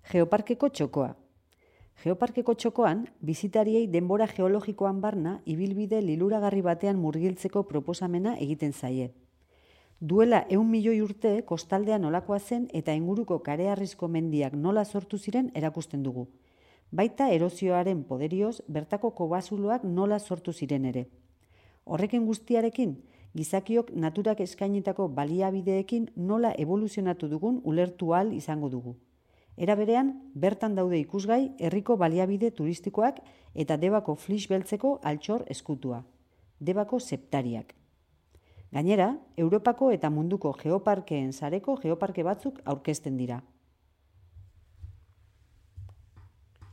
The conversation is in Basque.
Geoparkeko txokoa. Geoparkeko txokoan, bizitariei denbora geologikoan barna ibilbide liluragarri batean murgiltzeko proposamena egiten zaie. Duela 100 milioi urte kostaldea nolakoa zen eta inguruko kareharrizko mendiak nola sortu ziren erakusten dugu. Baita erozioaren poderioz bertako kobazuloak nola sortu ziren ere. Horrekin guztiarekin, gizakiok naturak eskainitako baliabideekin nola evoluzionatu dugun ulertu ahal izango dugu. Era berean, bertan daude ikusgai herriko baliabide turistikoak eta Debako flix beltzeko altxor eskutua, Debako septariak. Gainera, Europako eta munduko geoparkeen sareko geoparke batzuk aurkezten dira.